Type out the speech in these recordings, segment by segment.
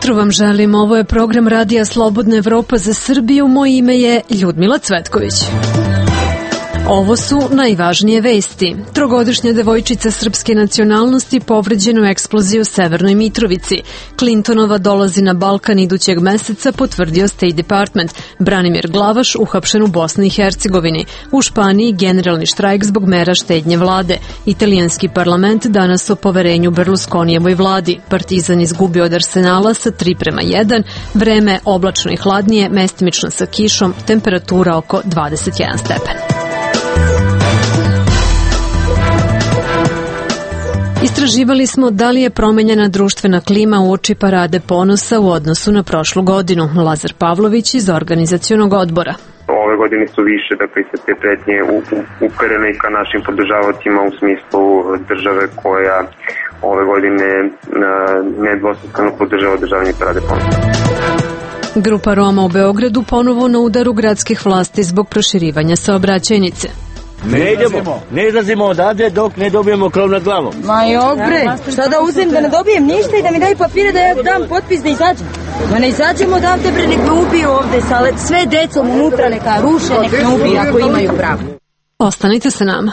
jutro vam želim. Ovo je program Radija Slobodna Evropa za Srbiju. Moje ime je Ljudmila Cvetković. Ovo su najvažnije vesti. Trogodišnja devojčica srpske nacionalnosti povređena u eksploziji u Severnoj Mitrovici. Clintonova dolazi na Balkan idućeg meseca, potvrdio State Department. Branimir Glavaš uhapšen u Bosni i Hercegovini. U Španiji generalni štrajk zbog mera štednje vlade. Italijanski parlament danas o poverenju Berlusconijevoj vladi. Partizan izgubio od Arsenala sa 3:1. Vreme oblačno i hladnije, mestimično sa kišom, temperatura oko 21 stepen. Istraživali smo da li je promenjena društvena klima uoči parade ponosa u odnosu na prošlu godinu. Lazar Pavlović iz organizacionog odbora. Ove godine su više, dakle, se te pretnje uperene ka našim podržavaocima u smislu države koja ove godine nedvosmisleno podržava održavanje parade ponosa. Grupa Roma u Beogradu ponovo na udaru gradskih vlasti zbog proširivanja saobraćajnice. Ne izlazimo odavde dok ne dobijemo krov nad glavom. Ma jok bre, šta da uzem da ne dobijem ništa i da mi daju papire da ja dam potpis da izađem? Ma ne izađemo odavde bre, nek me ubiju ovde, sve decom unutra neka ruše, nek me ubiju ako imaju pravo. Ostanite sa nama.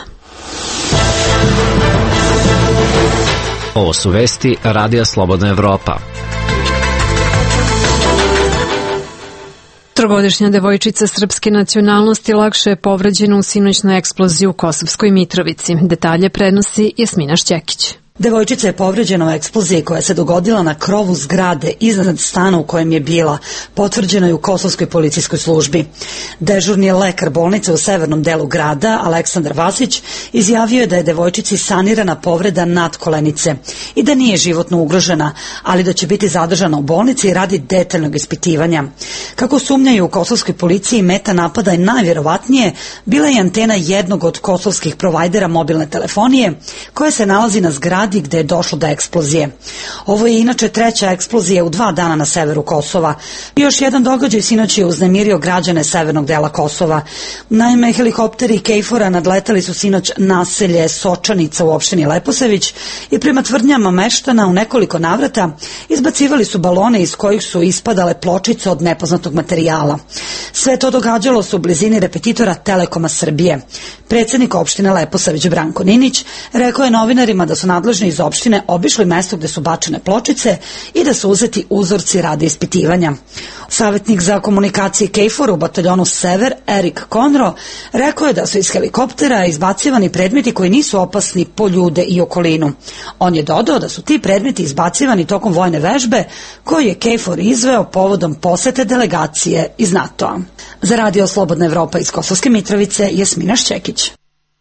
Ovo su vesti Radija Slobodna Evropa. Trogodišnja devojčica srpske nacionalnosti lakše je povređena u sinoćnoj eksploziji u Kosovskoj Mitrovici. Detalje prenosi Jasmina Šćekić. Devojčica je povređena u eksploziji koja se dogodila na krovu zgrade iznad stana u kojem je bila, potvrđeno je u Kosovskoj policijskoj službi. Dežurni lekar bolnice u severnom delu grada, Aleksandar Vasić, izjavio je da je devojčici sanirana povreda nadkolenice i da nije životno ugrožena, ali da će biti zadržana u bolnici radi detaljnog ispitivanja. Kako sumnjaju u kosovskoj policiji, meta napada je najvjerovatnije bila je antena jednog od kosovskih provajdera mobilne telefonije koja se nalazi na zgradi gde je došlo do eksplozije. Ovo je inače treća eksplozija u 2 dana na severu Kosova. Još jedan događaj sinoć je uznemirio građane severnog dela Kosova. Naime, helikopteri KFOR-a nadletali su sinoć naselje Sočanica u opštini Leposavić i prema tvrdnjama meštana u nekoliko navrata izbacivali su balone iz kojih su ispadale pločice od nepoznatog materijala. Sve to događalo se u blizini repetitora Telekoma Srbije. Predsjednik opštine Leposavić Branko Ninić rekao je novinarima da su nadležni iz opštine obišli mesto gde su bačene pločice i da su uzeti uzorci radi ispitivanja. Savjetnik za komunikacije KFOR u bataljonu Sever, Erik Konro, rekao je da su iz helikoptera izbacivani predmeti koji nisu opasni po ljude i okolinu. On je dodao da su ti predmeti izbacivani tokom vojne vežbe koju je KFOR izveo povodom posete delegacije iz NATO-a. Za Radio Slobodna Evropa iz Kosovske Mitrovice, Jasmina Šćekić.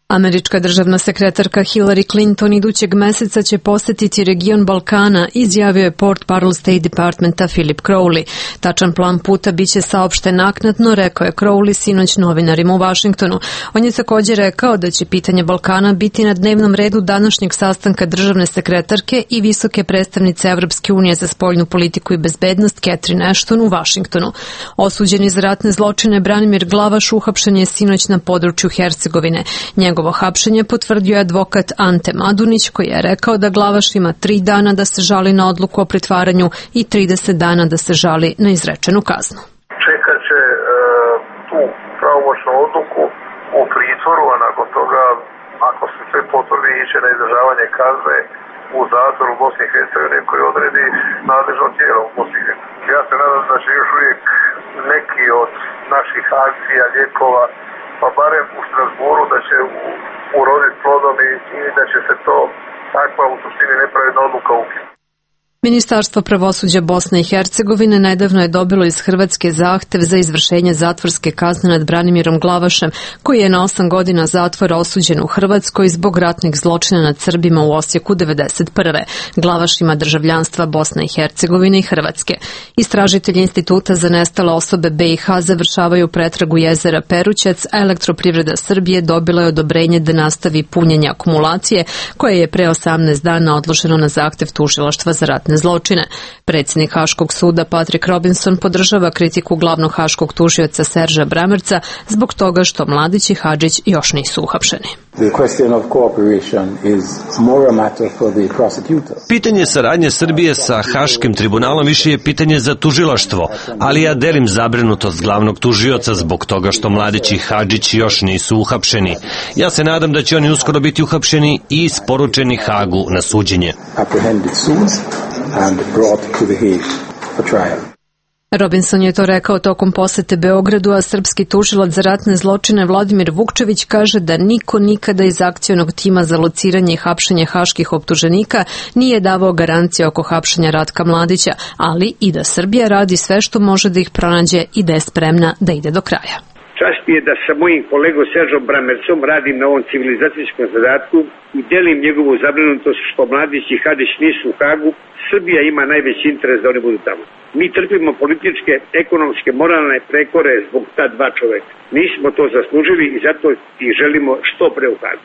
Američka državna sekretarka Hillary Clinton idućeg meseca će posetiti region Balkana, izjavio je portparol State Departmenta Philip Crowley. Tačan plan puta biće saopšten naknadno, rekao je Crowley sinoć novinarima u Vašingtonu. On je također rekao da će pitanje Balkana biti na dnevnom redu današnjeg sastanka državne sekretarke i visoke predstavnice Evropske unije za spoljnu politiku i bezbednost Catherine Ashton u Vašingtonu. Osuđeni za ratne zločine Branimir Glavaš uhapšen je sinoć na području Hercegovine. Njegovo hapšenje potvrdio je advokat Ante Madunić koji je rekao da Glavaš ima 3 dana da se žali na odluku o pritvaranju i 30 dana da se žali na izrečenu kaznu. Čekat će tu pravomoćnu odluku u pritvoru, a nakon toga, ako se sve potvrdi, iće na izdržavanje kazne u zatvoru u Bosni i Hercegovini koji odredi nadležno tijelo u Bosni i Hercegovini. Ja se nadam da će još uvijek neki od naših akcija, lijekova, pa barem u Strasburu da će uroditi plodom i da će se to takva u suštini nepravedna odluka ukinuti. Ministarstvo pravosuđa Bosne i Hercegovine nedavno je dobilo iz Hrvatske zahtev za izvršenje zatvorske kazne nad Branimirom Glavašem, koji je na 8 godina zatvora osuđen u Hrvatskoj zbog ratnih zločina nad Srbima u Osijeku 1991. Glavaš ima državljanstva Bosne i Hercegovine i Hrvatske. Istražitelji Instituta za nestale osobe BiH završavaju pretragu jezera Perućac, a Elektroprivreda Srbije dobila je odobrenje da nastavi punjenje akumulacije, koje je pre 18 dana odloženo na zahtev tužilaštva za ratne zločine. Predsjednik Haškog suda Patrik Robinson podržava kritiku glavnog haškog tužioca Serža Bramerca zbog toga što Mladić i Hadžić još nisu uhapšeni. Pitanje saradnje Srbije sa Haškim tribunalom više je pitanje za tužilaštvo, ali ja delim zabrinutost glavnog tužioca zbog toga što Mladić i Hadžić još nisu uhapšeni. Ja se nadam da će oni uskoro biti uhapšeni i isporučeni Hagu na suđenje. Robinson je to rekao tokom posete Beogradu, a srpski tužilac za ratne zločine Vladimir Vukčević kaže da niko nikada iz akcionog tima za lociranje i hapšenje haških optuženika nije davao garancije oko hapšenja Ratka Mladića, ali i da Srbija radi sve što može da ih pronađe i da je spremna da ide do kraja. Čast mi je da sa mojim kolegom Seržom Bramercom radim na ovom civilizacijskom zadatku i delim njegovu zabrinutost što Mladić i Hadžić nisu u Hagu. Srbija ima najveći interes da oni budu tamo. Mi trpimo političke, ekonomske, moralne prekore zbog ta dva čoveka. Nismo to zaslužili i zato ih želimo što pre u Hagu.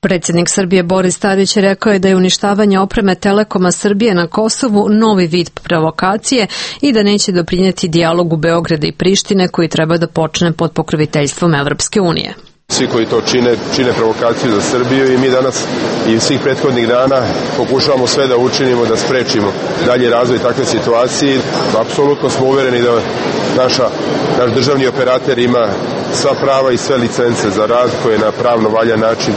Predsjednik Srbije Boris Tadić rekao je da je uništavanje opreme Telekoma Srbije na Kosovu novi vid provokacije i da neće doprinijeti dijalogu Beograda i Prištine koji treba da počne pod pokroviteljstvom Evropske unije. Svi koji to čine provokaciju za Srbiju i mi danas i svih prethodnih dana pokušavamo sve da učinimo da sprečimo dalje razvoj takve situacije. Apsolutno smo uvereni da naš državni operater ima sva prava i sve licence za rad koje na pravno valjan način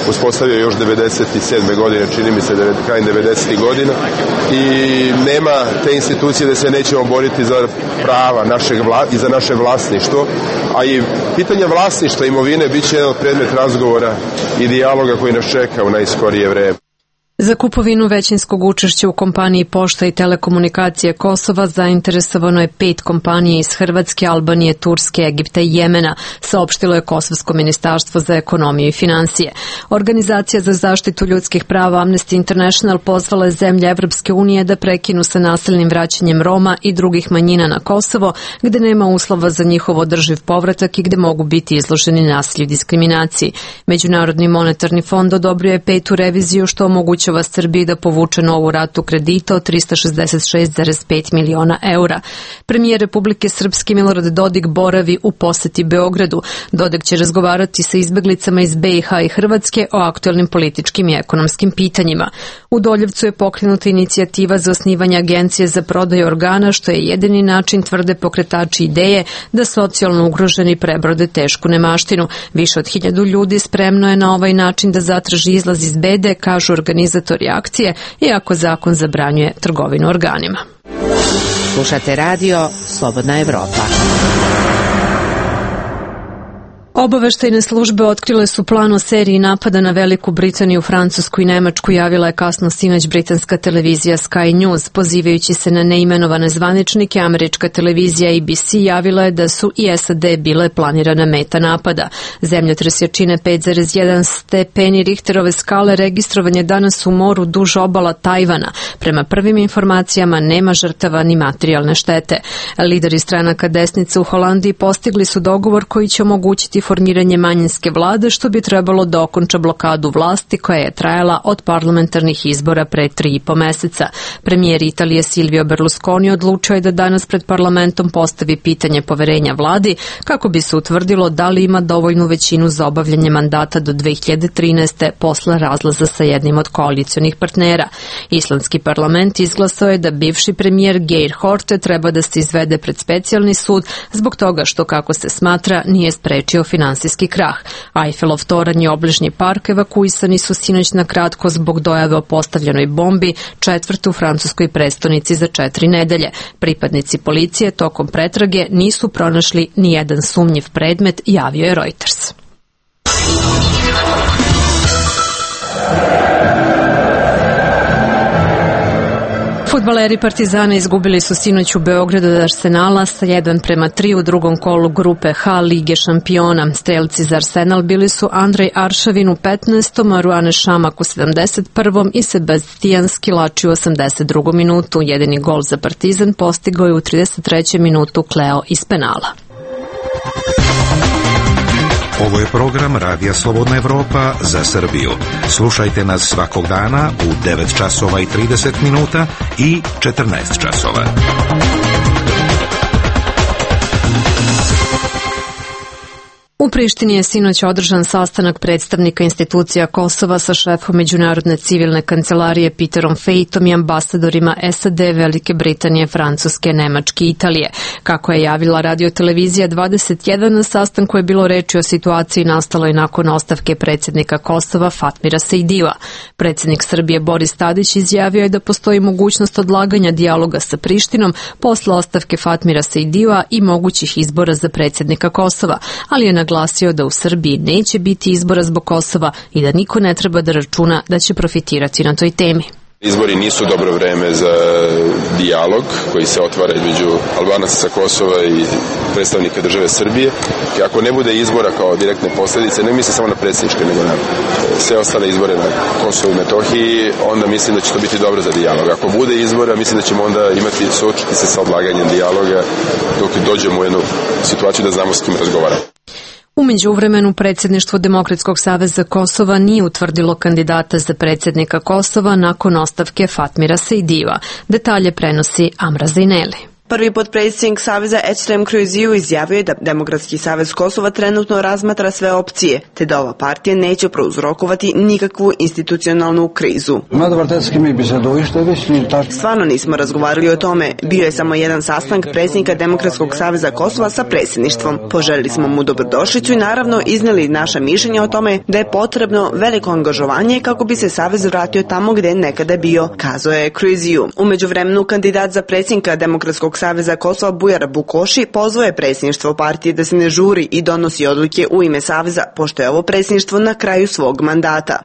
uspostavio još 97. godine, čini mi se krajem 90. godina i nema te institucije da se nećemo boriti za prava i za naše vlasništvo, a i pitanje vlasništva imovine bit će jedan od predmet razgovora i dijaloga koji nas čeka u najskorije vreme. Za kupovinu većinskog učešća u kompaniji Pošta i telekomunikacije Kosova zainteresovano je 5 kompanija iz Hrvatske, Albanije, Turske, Egipta i Jemena, saopštilo je Kosovsko ministarstvo za ekonomiju i finansije. Organizacija za zaštitu ljudskih prava Amnesty International pozvala je zemlje Evropske unije da prekinu sa nasilnim vraćanjem Roma i drugih manjina na Kosovo, gde nema uslova za njihov održiv povratak i gde mogu biti izloženi nasilju i diskriminaciji. Međunarodni monetarni fond odobrio je 5. reviziju što omogućava Srbiji da povuče novu ratu kredita od 366,5 miliona eura. Premijer Republike Srpske Milorad Dodik boravi u poseti Beogradu. Dodik će razgovarati sa izbeglicama iz BiH i Hrvatske o aktuelnim političkim i ekonomskim pitanjima. U Doljevcu je pokrenuta inicijativa za osnivanje agencije za prodaju organa, što je jedini način, tvrde pokretači ideje, da socijalno ugroženi prebrode tešku nemaštinu. Više od 1000 ljudi spremno je na ovaj način da zatraži izlaz iz bede, kažu organizatori akcije, iako zakon zabranjuje trgovinu organima. Slušate radio Slobodna Evropa. Obaveštajne službe otkrile su plan o seriji napada na Veliku Britaniju, Francusku i Nemačku, javila je kasno sinoć britanska televizija Sky News. Pozivajući se na neimenovane zvaničnike, američka televizija ABC javila je da su i SAD bile planirana meta napada. Zemljotres jačine 5,1 stepeni Richterove skale registrovan je danas u moru duž obala Tajvana. Prema prvim informacijama nema žrtava ni materijalne štete. Lideri stranaka desnice u Holandiji postigli su dogovor koji će omogućiti formiranje manjinske vlade, što bi trebalo da okonča blokadu vlasti koja je trajala od parlamentarnih izbora pre 3,5 meseca. Premijer Italije Silvio Berlusconi odlučio je da danas pred parlamentom postavi pitanje poverenja vladi kako bi se utvrdilo da li ima dovoljnu većinu za obavljanje mandata do 2013. posle razlaza sa jednim od koalicionih partnera. Islandski parlament izglasao je da bivši premijer Geir Horte treba da se izvede pred specijalni sud zbog toga što, kako se smatra, nije sprečio finansijski krah. Eiffelov toranj i obližnji park evakuisani su sinoć na kratko zbog dojave o postavljenoj bombi, četvrte u francuskoj prestonici za 4 nedelje. Pripadnici policije tokom pretrage nisu pronašli ni jedan sumnjiv predmet, javio je Reuters. Fudbaleri Partizana izgubili su sinoć u Beogradu od Arsenala sa 1:3 u drugom kolu grupe H Lige šampiona. Strelci za Arsenal bili su Andrej Aršavin u 15. Marouane Šamak u 71. i Sebastijan Skilači u 82. minutu. Jedini gol za Partizan postigao je u 33. minutu Kleo iz penala. Ovo je program Radija Slobodna Evropa za Srbiju. Slušajte nas svakog dana u 9 časova i 30 minuta i 14 časova. U Prištini je sinoć održan sastanak predstavnika institucija Kosova sa šefom Međunarodne civilne kancelarije Peterom Fejtom i ambasadorima SAD, Velike Britanije, Francuske, Nemačke i Italije. Kako je javila radiotelevizija 21, na sastanku je bilo reči o situaciji nastaloj nakon ostavke predsjednika Kosova Fatmira Sejdija. Predsjednik Srbije Boris Tadić izjavio je da postoji mogućnost odlaganja dijaloga sa Prištinom posle ostavke Fatmira Sejdija i mogućih izbora za predsjednika Kosova, ali je naglasio da u Srbiji neće biti izbora zbog Kosova i da niko ne treba da računa da će profitirati na toj temi. Izbori nisu dobro vreme za dijalog koji se otvara između Albanaca sa Kosova i predstavnika države Srbije. I ako ne bude izbora kao direktne posljedice, ne mislim samo na predsjedničke, nego na sve ostale izbore na Kosovu i Metohiji, onda mislim da će to biti dobro za dijalog. Ako bude izbora, mislim da ćemo onda suočiti se sa odlaganjem dijaloga dok dođemo u jednu situaciju da znamo s kim razgovaramo. U međuvremenu predsjedništvo Demokratskog saveza Kosova nije utvrdilo kandidata za predsjednika Kosova nakon ostavke Fatmira Sejdija. Detalje prenosi Amra Zineli. Prvi potpredsjednik Saveza Ekrem Kroiziju izjavio je da Demokratski savez Kosova trenutno razmatra sve opcije, te da ova partija neće prouzrokovati nikakvu institucionalnu krizu. Stvarno nismo razgovarali o tome. Bio je samo jedan sastanak predsjednika Demokratskog saveza Kosova sa predsjedništvom. Poželili smo mu dobrodošlicu i naravno iznijeli naša mišljenja o tome da je potrebno veliko angažovanje kako bi se savez vratio tamo gdje je nekada bio, kazao je Kroiziju. U međuvremenu kandidat za predsjednika Demokratskog saveza Kosova Bujar Bukoši pozvao je predsjedništvo partije da se ne žuri i donosi odluke u ime saveza, pošto je ovo predsjedništvo na kraju svog mandata.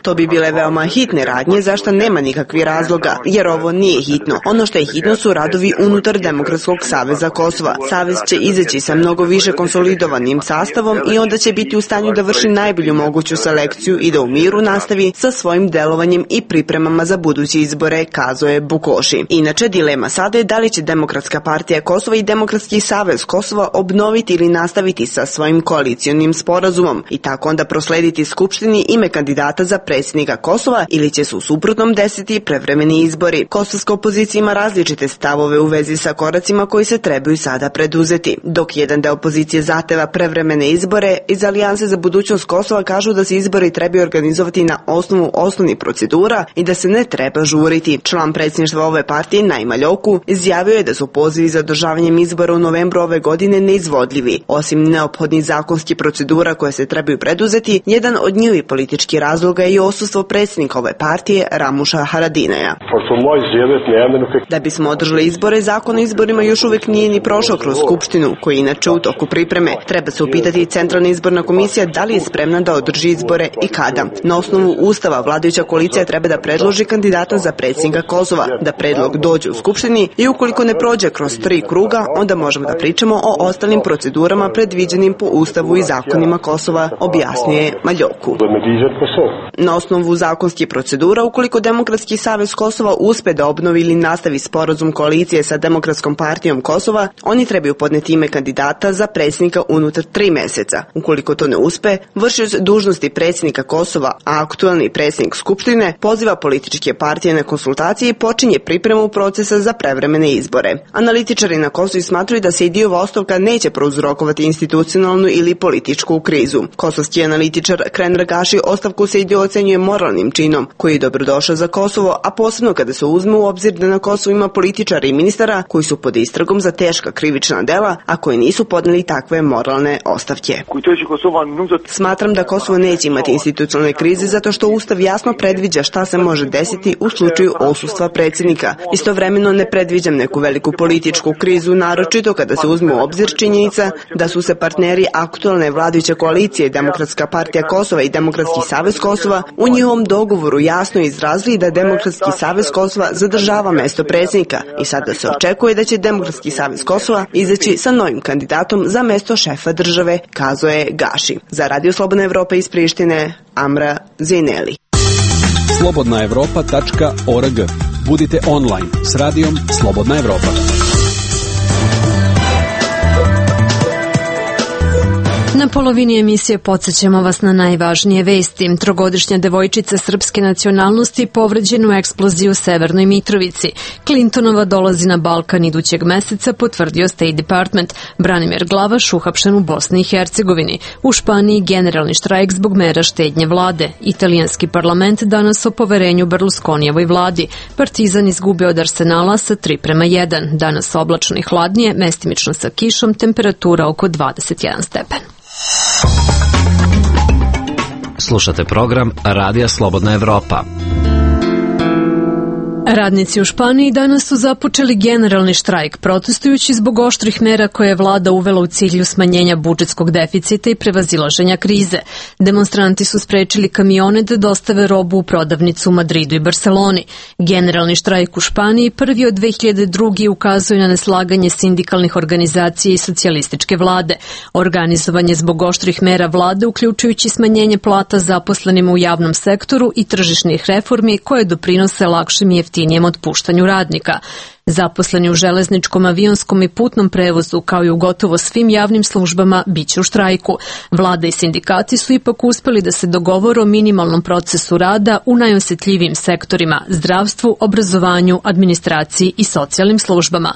To bi bile veoma hitne radnje, zašto nema nikakvih razloga, jer ovo nije hitno. Ono što je hitno su radovi unutar Demokratskog saveza Kosova. Savez će izaći sa mnogo više konsolidovanim sastavom i onda će biti u stanju da vrši najbolju moguću selekciju i da u miru nastavi sa svojim delovanjem i pripremama za buduće izbore, kazao je Bukoši. Inače, dilema sada je da li će Demokratska partija Kosova i Demokratski savez Kosova obnoviti ili nastaviti sa svojim koalicionim sporazumom i tako onda proslediti Skupštini ime kandidata za predsjednika Kosova ili će se u suprotnom desiti prevremeni izbori. Kosovska opozicija ima različite stavove u vezi sa koracima koji se trebaju sada preduzeti. Dok jedan deo opozicije zahteva prevremene izbore, iz Alijanse za budućnost Kosova kažu da se izbori trebaju organizovati na osnovu osnovnih procedura i da se ne treba žuriti. Član predsjedništva ove partije Naima Ljoku izjavio je da su pozivi za održavanjem izbora u novembru ove godine neizvodljivi. Osim neophodnih zakonskih procedura koje se trebaju preduzeti, jedan od njihovih političkih razloga je i odsustvo predsjednika ove partije Ramuša Haradinaja. Da bismo održali izbore, zakon o izborima još uvijek nije ni prošao kroz Skupštinu, koji je inače u toku pripreme. Treba se upitati Centralna izborna komisija da li je spremna da održi izbore i kada. Na osnovu Ustava vladajuća koalicija treba da predloži kandidata za predsjednika Kosova, da predlog dođe u Skupštini i ukoliko ne prođe kroz 3 kruga, onda možemo da pričamo o ostalim procedurama predviđenim po Ustavu i zakonima Kosova, objasnije Maljoku. Na osnovu zakonskih procedura, ukoliko Demokratski savez Kosova uspe da obnovi ili nastavi sporazum koalicije sa Demokratskom partijom Kosova, oni trebaju podneti ime kandidata za predsjednika unutar 3 mjeseca. Ukoliko to ne uspe, vršioc dužnosti predsjednika Kosova, a aktualni predsjednik Skupštine, poziva političke partije na konsultacije i počinje pripremu procesa za prevremene izbore. Analitičari na Kosovu smatruju da se Sejdijova ostavka neće prouzrokovati institucionalnu ili političku krizu. Kosovski analitičar Kren Ragaši ostavku Sejdija ocenjuje moralnim činom, koji je dobrodošao za Kosovo, a posebno kada se uzme u obzir da na Kosovu ima političara i ministara koji su pod istragom za teška krivična dela, a koji nisu podneli takve moralne ostavke. Smatram da Kosovo neće imati institucionalne krize zato što Ustav jasno predviđa šta se može desiti u slučaju odsustva predsjednika. Istovremeno ne predviđam neku veliku političku krizu, naročito kada se uzme u obzir činjenica da su se partneri aktualne vladajuće koalicije Demokratska partija Kosova i Demokratski savez Kosova u njihovom dogovoru jasno izrazili da Demokratski savez Kosova zadržava mesto predsjednika i sada se očekuje da će Demokratski savez Kosova izaći sa novim kandidatom za mesto šefa države, kazao je Gaši. Za Radio Slobodna Evropa iz Prištine, Amra Zineli. slobodnaevropa.org. Budite online s radijom Slobodna Evropa. Na polovini emisije podsjećamo vas na najvažnije vesti. Trogodišnja devojčica srpske nacionalnosti povređena u eksploziji u Severnoj Mitrovici. Clintonova dolazi na Balkan idućeg meseca, potvrdio State Department. Branimir Glavaš uhapšen u Bosni i Hercegovini. U Španiji generalni štrajk zbog mera štednje vlade. Italijanski parlament danas o poverenju Berlusconijevoj vladi. Partizan izgubio od Arsenala sa 3:1. Danas oblačno i hladnije, mestimično sa kišom, temperatura oko 21 stepen. Slušate program Radija Slobodna Evropa. Radnici u Španiji danas su započeli generalni štrajk, protestujući zbog oštrih mera koje je vlada uvela u cilju smanjenja budžetskog deficita i prevazilaženja krize. Demonstranti su sprečili kamione da dostave robu u prodavnicu u Madridu i Barceloni. Generalni štrajk u Španiji prvi od 2002. ukazuje na neslaganje sindikalnih organizacija i socijalističke vlade. Organizovan je zbog oštrih mera vlade, uključujući smanjenje plata zaposlenima u javnom sektoru i tržišnih reformi koje doprinose lakšim i jeftinijem otpuštanju radnika. Zaposleni u železničkom, avionskom i putnom prevozu, kao i u gotovo svim javnim službama, biće u štrajku. Vlada i sindikati su ipak uspeli da se dogovore o minimalnom procesu rada u najosjetljivijim sektorima: zdravstvu, obrazovanju, administraciji i socijalnim službama.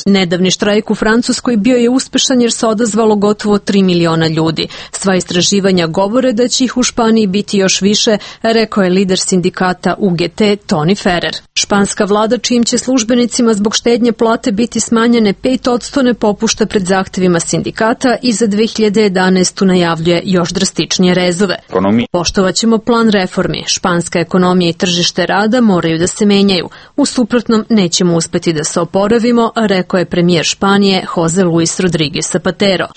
Nedavni štrajk u Francuskoj bio je uspešan jer se odazvalo gotovo 3 miliona ljudi. Sva istraživanja govore da će ih u Španiji biti još više, rekao je lider sindikata UGT Tony Ferrer. Španska vlada, čijim će službenicima zbog štednje plate biti smanjene 5%, ne popušta pred zahtevima sindikata i za 2011. najavljuje još drastičnije rezove. Poštovaćemo plan reformi. Španska ekonomija i tržište rada moraju da se menjaju. U suprotnom nećemo uspeti da se oporavimo, rekao je premijer Španije Jose Luis Rodriguez Zapatero.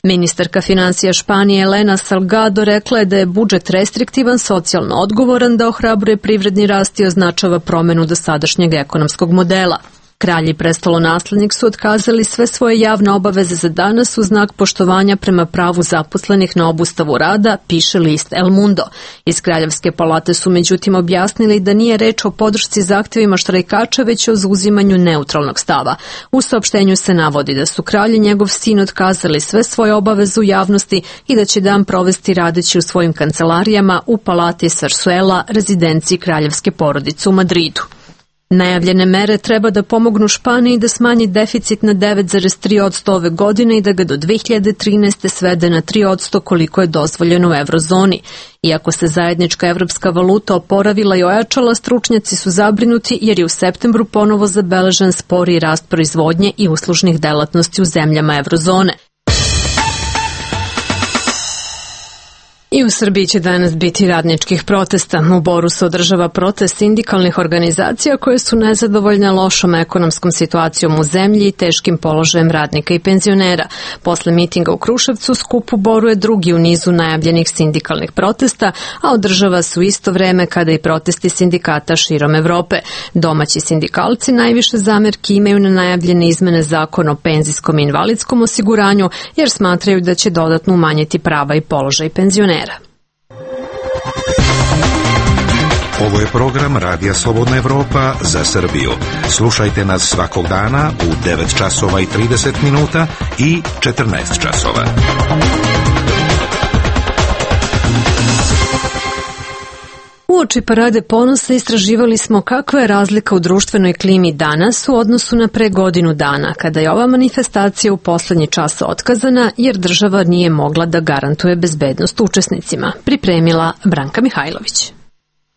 Ministarka financija Španije Elena Salgado rekla je da je budžet restriktivan, socijalno odgovoran, da ohrabruje privredni rast i označava promenu dosadašnjeg ekonomskog modela. Kralj i prestolonaslednik su otkazali sve svoje javne obaveze za danas u znak poštovanja prema pravu zaposlenih na obustavu rada, piše list El Mundo. Iz Kraljevske palate su međutim objasnili da nije reč o podršci zahtevima štrajkača, već o zauzimanju neutralnog stava. U saopštenju se navodi da su kralj i njegov sin otkazali sve svoje obaveze u javnosti i da će dan provesti radeći u svojim kancelarijama u palati Sarsuela, rezidenciji kraljevske porodice u Madridu. Najavljene mere treba da pomognu Španiji da smanji deficit na 9,3% ove godine i da ga do 2013. svede na 3% koliko je dozvoljeno u eurozoni. Iako se zajednička evropska valuta oporavila i ojačala, stručnjaci su zabrinuti jer je u septembru ponovo zabeležen sporiji rast proizvodnje i uslužnih delatnosti u zemljama eurozone. I u Srbiji će danas biti radničkih protesta. U Boru se održava protest sindikalnih organizacija koje su nezadovoljne lošom ekonomskom situacijom u zemlji i teškim položajem radnika i penzionera. Posle mitinga u Kruševcu, skup u Boru je drugi u nizu najavljenih sindikalnih protesta, a održava se u isto vreme kada i protesti sindikata širom Evrope. Domaći sindikalci najviše zamerki imaju na najavljene izmene zakona o penzijskom i invalidskom osiguranju, jer smatraju da će dodatno umanjiti prava i položaj penzionera. Ovo je program Radija Slobodna Evropa za Srbiju. Slušajte nas svakog dana u 9 časova i 30 minuta i 14 časova. Uoči Parade ponosa istraživali smo kakva je razlika u društvenoj klimi danas u odnosu na pre godinu dana, kada je ova manifestacija u poslednji čas otkazana jer država nije mogla da garantuje bezbednost učesnicima. Pripremila Branka Mihajlović.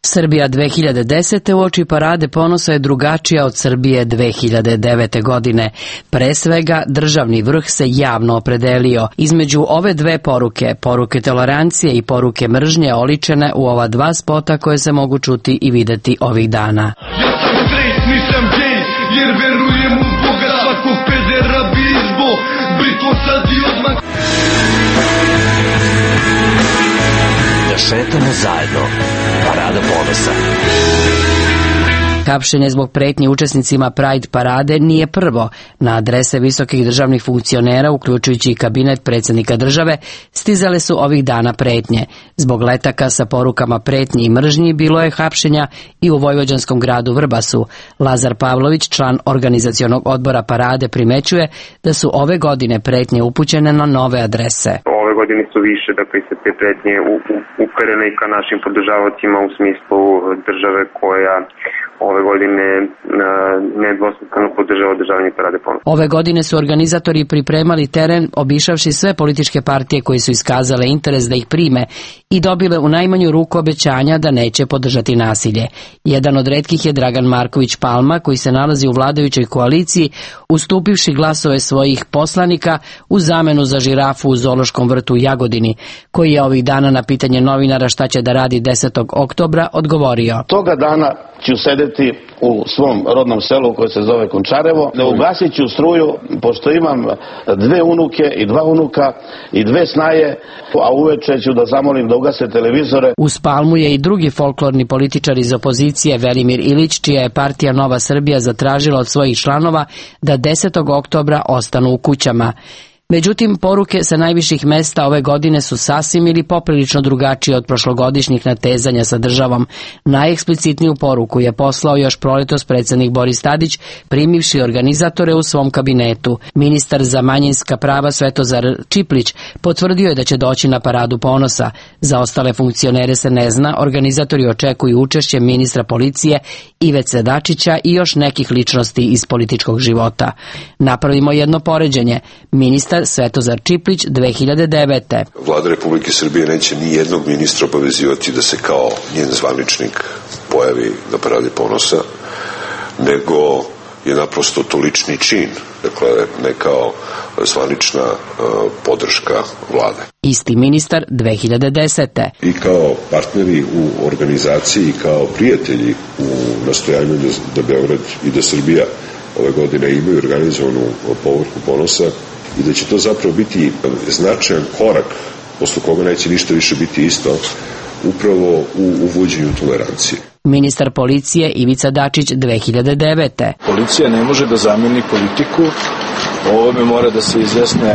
Srbija 2010. uoči Parade ponosa je drugačija od Srbije 2009. godine. Pre svega, državni vrh se javno opredelio. Između ove dve poruke, poruke tolerancije i poruke mržnje, oličene u ova dva spota koje se mogu čuti i videti ovih dana. Ja sam straight, nisam gej, jer verujem u Boga, svakog pedera bi izbo, britvo sad i odmah. Da šetamo zajedno. Parada ponosa. Hapšenje zbog pretnje učesnicima Pride parade nije prvo. Na adrese visokih državnih funkcionera, uključujući i kabinet predsjednika države, stizale su ovih dana pretnje. Zbog letaka sa porukama pretnji i mržnji bilo je hapšenja i u vojvođanskom gradu Vrbasu. Lazar Pavlović, član organizacionog odbora parade, primećuje da su ove godine pretnje upućene na nove adrese. Ove godine su više, dakle se te pretnje uperene i ka našim podržavacima u smislu države koja ove godine nedvosmisleno podržava održavanje Parade ponosa. Ove godine su organizatori pripremali teren obišavši sve političke partije koje su iskazale interes da ih prime i dobile u najmanju ruku obećanja da neće podržati nasilje. Jedan od retkih je Dragan Marković Palma, koji se nalazi u vladajućoj koaliciji, ustupivši glasove svojih poslanika u zamenu za žirafu u zoološkom vrtu u Jagodini, koji je ovih dana na pitanje novinara šta će da radi 10. oktobra odgovorio. Toga dana ću sedeti u svom rodnom selu koje se zove Končarevo, da ugasit ću struju, pošto imam 2 unuke i 2 unuka i 2 snaje, a uveče ću da zamolim da ugase televizore. Uz Palmu je i drugi folklorni političar iz opozicije, Velimir Ilić, čija je partija Nova Srbija zatražila od svojih članova da 10. oktobra ostanu u kućama. Međutim, poruke sa najviših mesta ove godine su sasvim ili poprilično drugačije od prošlogodišnjih natezanja sa državom. Najeksplicitniju poruku je poslao još proletos predsjednik Boris Tadić, primivši organizatore u svom kabinetu. Ministar za manjinska prava Svetozar Čiplić potvrdio je da će doći na Paradu ponosa. Za ostale funkcionere se ne zna, organizatori očekuju učešće ministra policije Ivice Dačića i još nekih ličnosti iz političkog života. Napravimo jedno poređenje. Ministar Svetozar Čiplić 2009. Vlada Republike Srbije neće ni jednog ministra obavezivati da se kao njen zvaničnik pojavi na Paradi ponosa, nego je naprosto to lični čin, dakle ne kao zvanična podrška vlade. Isti ministar 2010. I kao partneri u organizaciji i kao prijatelji u nastojanju da Beograd i da Srbija ove godine imaju organizovanu povorku ponosa i da će to zapravo biti značajan korak posle koga neće ništa više biti isto upravo u uvođenju tolerancije. Ministar policije Ivica Dačić 2009. Policija ne može da zameni politiku, o ovome mora da se izjasne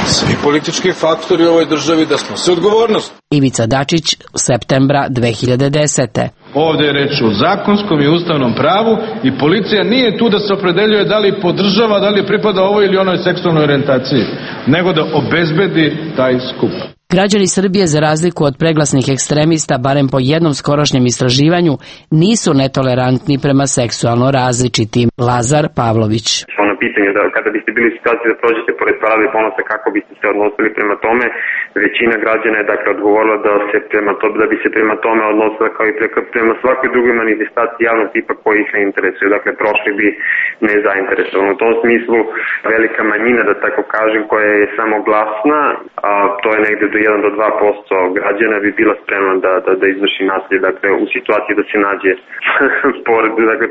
svi politički faktori u ovoj državi, da snose odgovornost. Ivica Dačić septembra 2010. Ovdje je reč o zakonskom i ustavnom pravu i policija nije tu da se opredeljuje da li podržava, da li pripada ovoj ili onoj seksualnoj orijentaciji, nego da obezbedi taj skup. Građani Srbije, za razliku od preglasnih ekstremista, barem po jednom skorošnjem istraživanju, nisu netolerantni prema seksualno različitim. Lazar Pavlović. Ono pitanje da kada biste bili u situaciji da prođete pored Parade ponosa, kako biste se odnosili prema tome, većina građana je dakle odgovorila da bi se prema tome odnosila kao i prema svakoj drugoj manifestaciji javnog tipa koji ih ne interesuje. Dakle, prošli bi nezainteresovano. U tom smislu velika manjina, da tako kažem, koja je samo glasna, a to je negde do 1 do 2% građana bi bila spremna da izvrši nasilje, dakle u situaciji da se nađe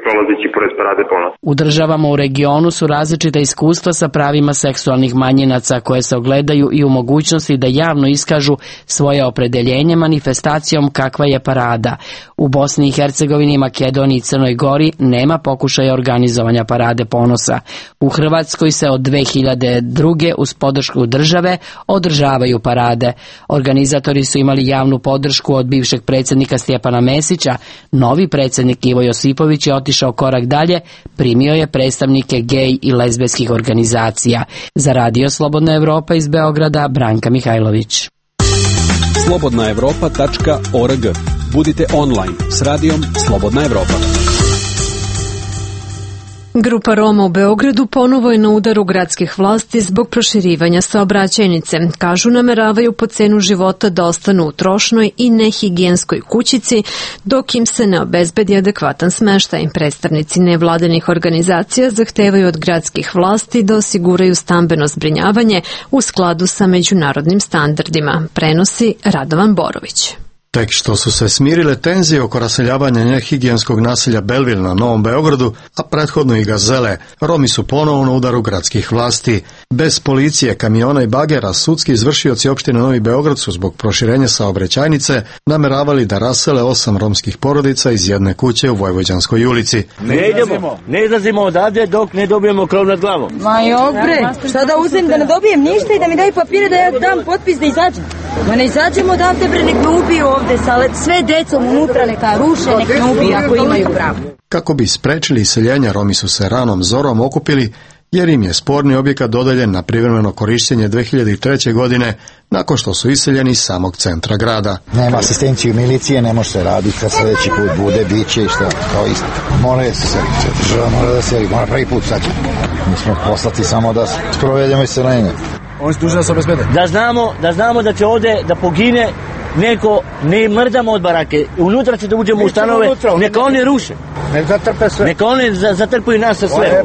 prolazeći pored Parade ponosa. U državama u regionu su različita iskustva sa pravima seksualnih manjinaca koje se ogledaju i u mogućnosti da javno iskažu svoje opredeljenje manifestacijom kakva je parada. U Bosni i Hercegovini, Makedoniji i Crnoj Gori nema pokušaja organizovanja Parade ponosa. U Hrvatskoj se od 2002. uz podršku države održavaju parade. Organizatori su imali javnu podršku od bivšeg predsjednika Stjepana Mesića. Novi predsjednik Ivo Josipović je otišao korak dalje, primio je predstavnike gej i lezbijskih organizacija. Za Radio Slobodna Evropa iz Beograda, Branka Mihajlović. slobodnaevropa.org. Budite online s radijom Slobodna Evropa. Grupa Roma u Beogradu ponovo je na udaru gradskih vlasti zbog proširivanja saobraćajnice. Kažu, nameravaju po cenu života da ostanu u trošnoj i nehigijenskoj kućici dok im se ne obezbedi adekvatan smeštaj. Predstavnici nevladinih organizacija zahtevaju od gradskih vlasti da osiguraju stambeno zbrinjavanje u skladu sa međunarodnim standardima, prenosi Radovan Borović. Tek što su se smirile tenzije oko raseljavanja nehigijenskog naselja Belville na Novom Beogradu, a prethodno i Gazele, Romi su ponovo na udaru gradskih vlasti. Bez policije, kamiona i bagera, sudski izvršioci opštine Novi Beograd su zbog proširenja saobraćajnice nameravali da rasele 8 romskih porodica iz jedne kuće u Vojvođanskoj ulici. Ne izlazimo odavde dok ne dobijemo krov nad glavom. Ma bre, šta da uzem da ne dobijem ništa i da mi daju papire da ja dam potpis da izađem? Ma ne izađemo odavde bre, nek me ubiju ovde, sve decom unutra neka ruše, nek me ubiju ako imaju pravo. Kako bi sprečili iseljenja, Romi su se ranom zorom okupili jer im je sporni objekat dodeljen na privremeno korištenje 2003. godine nakon što su iseljeni iz samog centra grada. Nema asistenciju milicije, ne može se raditi, kad sljedeći put bude, bit će i što, kao isto. Mora se seliti, država mora da seli, mora prvi put sad. Mi smo poslati samo da sprovedemo iseljenje. Oni su dužni da se obezbede. Da znamo da će ovde da pogine neko, ne mrdamo od barake. Unutra će da uđemo u stanove, neka oni ruše. Neka oni zatrpuju nas sa sve.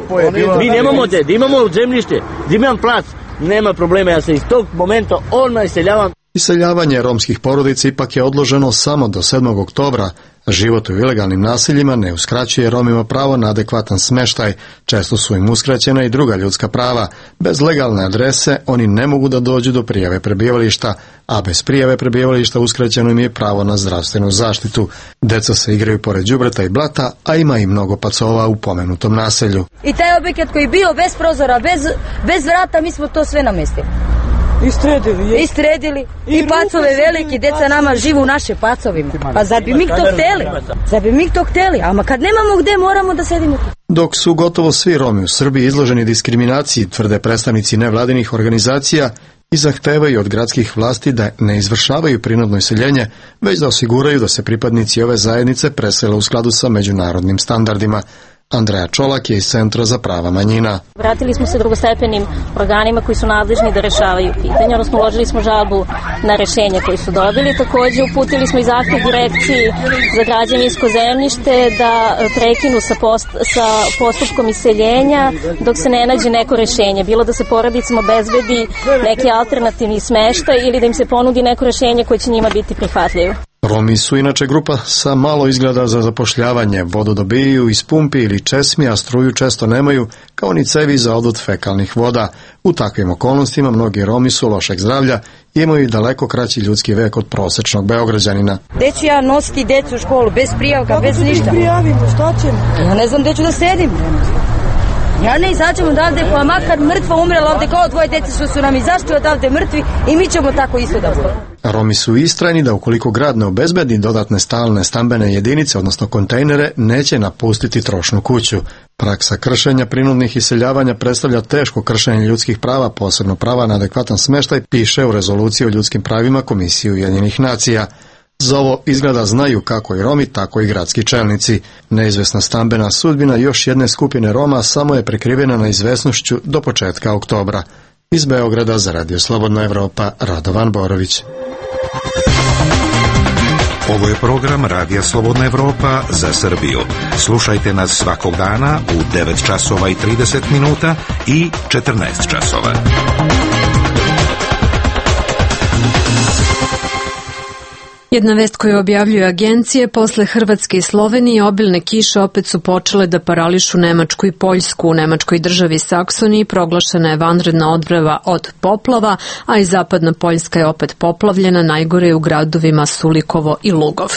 Mi nemamo da imamo zemljište, da imam plac, nema problema, ja se iz tog momenta odmah iseljavam. Iseljavanje romskih porodica ipak je odloženo samo do 7. oktobra. Život u ilegalnim naseljima ne uskraćuje Romima pravo na adekvatan smeštaj. Često su im uskraćena i druga ljudska prava. Bez legalne adrese oni ne mogu da dođu do prijave prebivališta, a bez prijave prebivališta uskraćeno im je pravo na zdravstvenu zaštitu. Deca se igraju pored đubreta i blata, a ima i mnogo pacova u pomenutom naselju. I taj objekat koji je bio bez prozora, bez vrata, mi smo to sve namestili. Istredili. I pacove veliki, deca nama živu u naše pacovima. Pa zar bi mi to hteli? Ama kad nemamo gde, moramo da sedimo tu. Dok su gotovo svi Romi u Srbiji izloženi diskriminaciji, tvrde predstavnici nevladinih organizacija i zahtevaju od gradskih vlasti da ne izvršavaju prinudno iseljenje, već da osiguraju da se pripadnici ove zajednice presele u skladu sa međunarodnim standardima. Andreja Čolak je iz Centra za prava manjina. Vratili smo se drugostepenim organima koji su nadležni da rešavaju pitanja, odnosno uložili smo žalbu na rešenje koje su dobili. Takođe uputili smo i zahtev direkciji za građevinsko zemljište da prekinu sa postupkom iseljenja dok se ne nađe neko rešenje. Bilo da se porodicama obezbedi neki alternativni smeštaj ili da im se ponudi neko rešenje koje će njima biti prihvatljivo. Romi su inače grupa sa malo izgleda za zapošljavanje. Vodu dobijaju iz pumpi ili česmi, a struju često nemaju, kao ni cevi za odvod fekalnih voda. U takvim okolnostima mnogi Romi su lošeg zdravlja i imaju daleko kraći ljudski vek od prosečnog Beograđanina. Gde ću ja nositi decu u školu, bez prijavka, bez ništa? Kako prijavimo, šta ćemo? Ja ne znam gde ću da sedim. Ja ne izađem odavde, pa makar mrtva umrela ovde kao dvoje dece što su nam izašli odavde mrtvi i mi ćemo tako isto da budemo. Romi su istrajni da ukoliko grad ne obezbedi dodatne stalne stambene jedinice, odnosno kontejnere, neće napustiti trošnu kuću. Praksa kršenja prinudnih iseljavanja predstavlja teško kršenje ljudskih prava, posebno prava na adekvatan smeštaj, piše u rezoluciji o ljudskim pravima Komisije Ujedinjenih nacija. Za ovo izgleda znaju kako i Romi, tako i gradski čelnici. Neizvesna stambena sudbina još jedne skupine Roma samo je prekrivena neizvesnošću do početka oktobra. Iz Beograda za Radio Slobodna Evropa, Radovan Borović. Ovo je program Radija Slobodna Evropa za Srbiju. Slušajte nas svakog dana u 9 časova i 30 minuta i 14 časova. Jedna vest koju objavljuju agencije, posle Hrvatske i Slovenije obilne kiše opet su počele da parališu Nemačku i Poljsku. U nemačkoj državi Saksoniji proglašena je vanredna odbrana od poplava, a i zapadna Poljska je opet poplavljena, najgore je u gradovima Sulikovo i Lugov.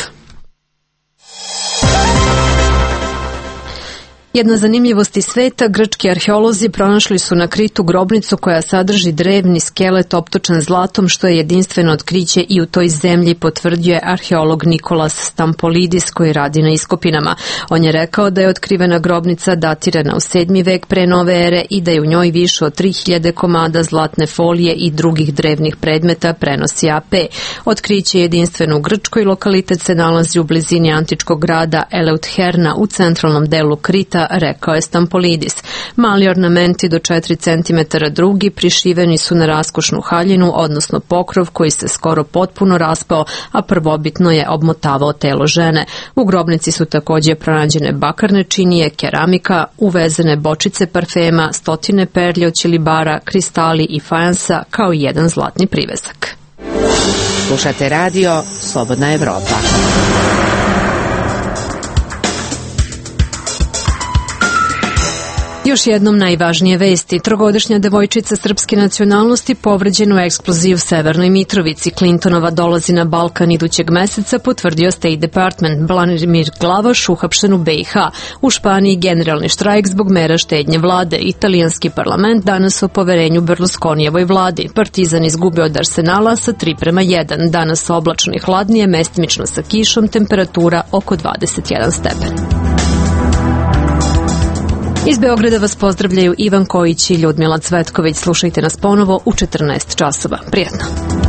Jedna zanimljivost iz sveta, grčki arheolozi pronašli su na Kritu grobnicu koja sadrži drevni skelet optočen zlatom, što je jedinstveno otkriće i u toj zemlji, potvrdio je arheolog Nikolas Stampolidis koji radi na iskopinama. On je rekao da je otkrivena grobnica datirana u 7. vek pre nove ere i da je u njoj više od 3000 komada zlatne folije i drugih drevnih predmeta, prenosi AP. Otkriće je jedinstveno u Grčkoj, lokalitet se nalazi u blizini antičkog grada Eleutherna u centralnom delu Krita, rekao je Stampolidis. Mali ornamenti do 4 cm drugi prišiveni su na raskošnu haljinu, odnosno pokrov koji se skoro potpuno raspao, a prvobitno je obmotavao telo žene. U grobnici su također pronađene bakarne činije, keramika, uvezene bočice parfema, stotine perlje od ćilibara, kristali i fajansa, kao i jedan zlatni privesak. Slušate radio Slobodna Evropa. Još jednom najvažnije vesti. Trogodišnja devojčica srpske nacionalnosti povređena u eksploziji u Severnoj Mitrovici. Clintonova dolazi na Balkan idućeg meseca, potvrdio State Department. Branimir Glavaš uhapšen u BiH. U Španiji generalni štrajk zbog mera štednje vlade. Italijanski parlament danas o poverenju Berlusconijevoj vladi. Partizan izgubio od Arsenala sa 3:1. Danas oblačno i hladnije, mestimično sa kišom, temperatura oko 21 stepen. Iz Beograda vas pozdravljaju Ivan Kojić i Ljudmila Cvetković. Slušajte nas ponovo u 14 časova. Prijetno.